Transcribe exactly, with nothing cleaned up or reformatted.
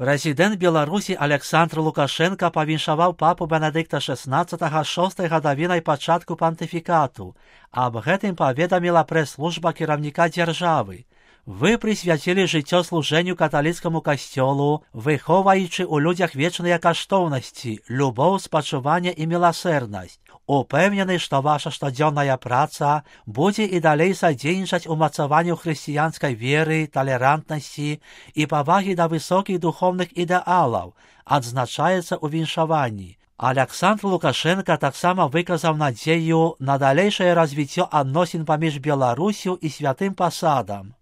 Прэзідэнт Беларусі Александр Лукашенко павіншаваў папу Бенедыкта шэснаццатага шостай гадавінай пачатку пантыфікату. Аб гэтым паведаміла прэс-служба кіраўніка дзяржавы. Вы прысвяцілі жыццё служэнню каталіцкаму касцёлу, выхоўваючы ў людзях вечныя каштоўнасці, любоў, спачуванне і міласэрнасць. Упэўнены, што ваша штодзённая праца будзе і далей садзейнічаць умацаванню хрысціянскай веры, талерантнасці і павагі да высокіх духоўных ідэалаў, адзначаецца ў віншаванні. Александр Лукашенко таксама выказаў надзею на далейшае развіццё адносін паміж Беларусю і святым пасадам.